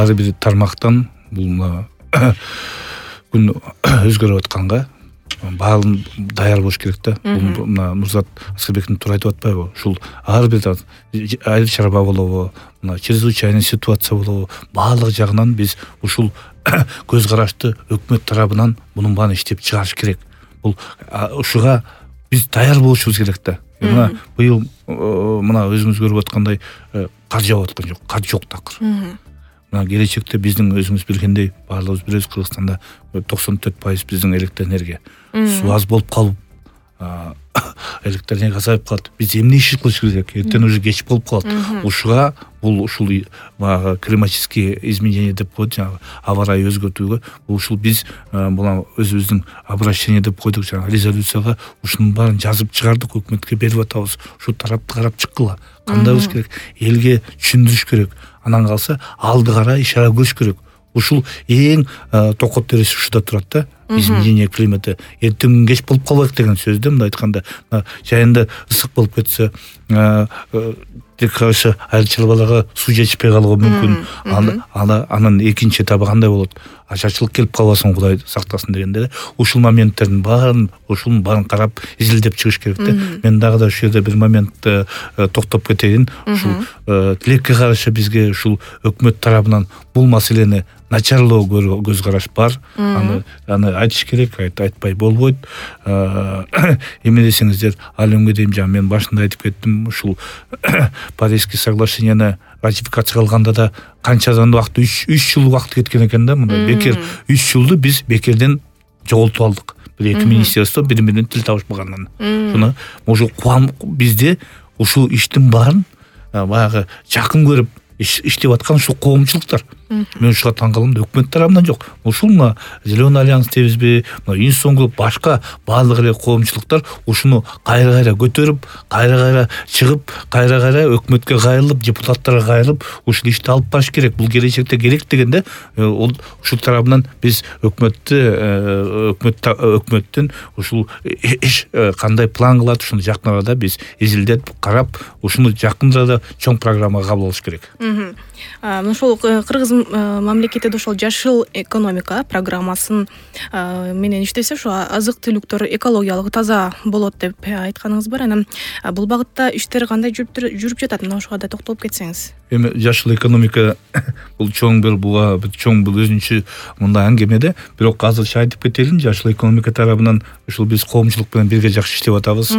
ар бир тармактан бул күн өзгөрүп атканга баарын даяр болуш керек да. Бул мына Нурзат Аскербековдун туура айтып атпайбы? Ушул ар бир айыл чарба болобу, мына чрезвычайный ситуация болобу, баардык жагынан биз ушул көз карашты өкмөт тарабынан мунун баарын иштеп чыгарыш керек. Бул ушуга биз даяр болушубуз керек да. Мына быйыл мына өзүңүз көрүп аткандай кар жаап аткан жок, кар жок такыр. Мына келечекте биздин өзүңүз билгендей баардыгыбыз билебиз, Кыргызстанда 94% биздин электр энергия. Суу аз болуп калып, электр энергия азайып калат. Биз эмне иш кылыш керек? Эртең уже кеч болуп калат. Ушуга бул ушул климатические изменения деп коет, жаңы аба ырайы өзгөртүүгө ушул биз буга өзүбүздүн обращение деп койдук, жаңы резолюцияга ушунун баарын жазып чыгардык, өкмөткө берип атабыз. Ушу тарапты карап чыккыла. Кандай кылыш керек? Элге түшүндүрүш керек. Анан калса алды карай ишара көрүш керек. Ушул эң токот терisi ушуда турат да. Изменение климата эртең кеч болуп калбайт деген сөз да. Мындай айтканда, жайында ысык болуп кетсе, тек кайсы айыл чарбаларга суу жетишпей калышы мүмкүн. Анан экинчи этабы кандай болот? Ачарчылык келип калбасын, Кудай сактасын дегенде, ушул моменттердин ушунун баарын карап изилдеп чыгыш керек да. Мен дагы да ушул жерде бир моментте токтоп кетейин. Ушул тилекке каршы бизге ушул өкмөт тарабынан бул маселени начарлоо көз караш бар. Аны айтыш керек, айтпай болбойт. Эме десеңиздер, ал күнгө дейин мен башында айтып кеттим, ушул Парижский соглашенияны ратификация кылганда да канчадан убакыт 3 жыл убакыт кеткен экен да. Мында бекер 3 жылды биз бекерден жоготуп алдык. Бир эки министерство бири-биринен тил табышпагандан. Шуну уже бизде ушул иштин баарын баягы жакын көрүп иштеп аткан ушул коомчулуктар. Мен ушуга таң калам, өкмөт тарабынан жок. Ушул мына Зеленый альянс дейбизби, мына Инсон групп, башка баардык эле коомчулуктар ушуну кайра көтөрүп, кайра чыгып, кайра өкмөткө кайрылып, депутаттарга кайрылып, ушул ишти алып барыш керек. Бул келечекте керек дегенде, ушул тарабынан биз өкмөттөн ушул кандай план кылат, ушуну жакын арада биз изилдеп карап, ушуну жакын арада чоң программага кабыл алыш керек. Ошол Кыргыз мамлекетиде ошол жашыл экономика программасын менен иштесе, ошо азык-түлүктөр экологиялык таза болот деп айтканыңыз бар. Анан бул багытта иштер кандай жүрүп жатат? Мына ошого да токтолуп кетсеңиз. Эми жашыл экономика бул чоң бир өзүнчө мындай әңгемеде, бирок азырча айтып кетелин, жашыл экономика тарабынан ушул биз коомчулук менен бирге жакшы иштеп атабыз.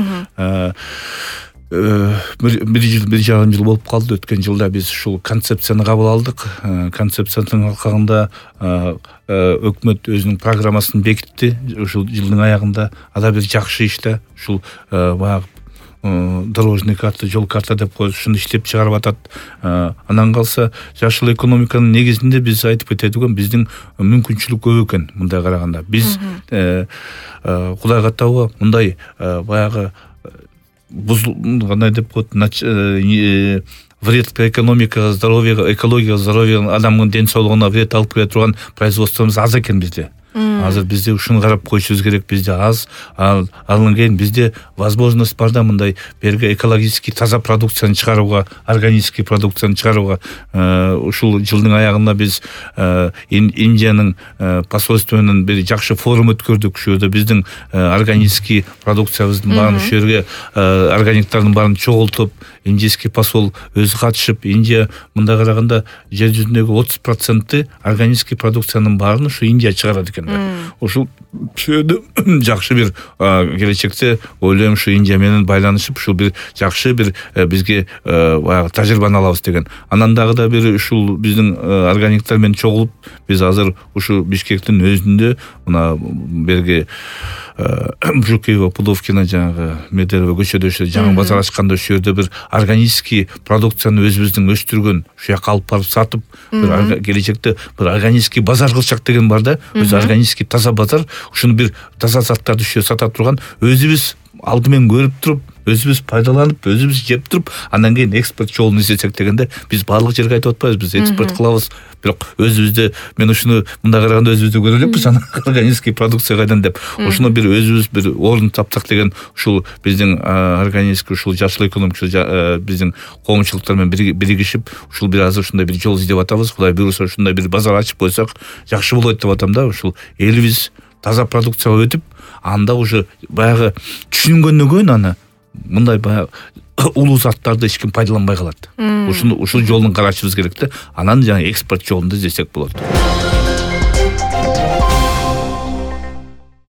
Бир жарым жыл болуп калды. Өткөн жылда биз ушул концепцияны кабыл алдык. Концепциянын алкагында өкмөт өзүнүн программасын бекитти. Ушул жылдын аягында ада бир жакшы иште ушул баягы дорожный карта, жол карта деп коюп, ушуну иштеп чыгарып атат. Анан калса жашыл экономиканын негизинде биз айтып кетедиген биздин мүмкүнчүлүк көп экен. Мындай караганда биз Кудай каттабы мындай баягы кандай деп коет, вред экономикага, здоровьега, экологияга, здоровье, адамдын ден соолугуна вред алып келе турган производствомуз аз экен bizde. Азыр бизде ушуну карап коюшубуз керек. Бизде аз, андан кийин бизде возможность бар да мындай берге экологически таза продукцияны чыгарууга, органический продукцияны чыгарууга. Ушул жылдын аягында биз Индиянын посольство менен бир жакшы форум өткөрдүк. Ушул жерде биздин органический продукциябыздын баарын ушул жерге органиктардын баарын чогултуп, индийский посол өзү катышып, Индия мындай караганда жер жүзүндөгү 30% органический продукциянын баарын ушу Индия чыгарат экен. Ушул жерде жакшы бир келечекте ойлойм, ушу Индия менен байланышып, ушул бир жакшы бир бизге баягы тажрыйбаны алабыз деген. Анан дагы да бир ушул биздин органиктар менен чогулуп, биз азыр ушу Бишкектин өзүндө мына берге Жукеева, Пудовкина, жанагы Медерево көчөдө жаңы базар ачканда ошол жерде бир органический продукцияны өзүбүздүн өстүргөн, ушул жака алып барып сатып, бир келечекте бир органический базар кылчак деген бар да. Өзү органический таза базар, ушуну бир таза заттарды ушул жерде сата турган, өзүбүз алды менен көрүп туруп, өзүбүз пайдаланып, өзүбүз жеп туруп, андан кийин экспорт жолун издесек дегенде биз баардык жерге айтып атпайбыз. Биз экспорт кылабыз, бирок өзүбүздө мен ушуну мындай караганда өзүбүздө көрө элекпиз, органический продукция кайдан деп. Ошону бир өзүбүз бир орун тапсак деген ушул биздин органический ушул жашыл экономика биздин коомчулуктар менен биригишип ушул бир азыр ушундай бир жол издеп атабыз. Кудай буйруса ушундай бир базар ачып койсок жакшы болот деп атам да. Ушул элибиз таза продукцияга өтүп, анда уже баягы түшүнгөндөн кийин аны мындай баягы улуу заттарды эч ким пайдаланбай калат. Ушул жолун карашыбыз керек да. Анан жаңы экспорт жолунду издесек болот.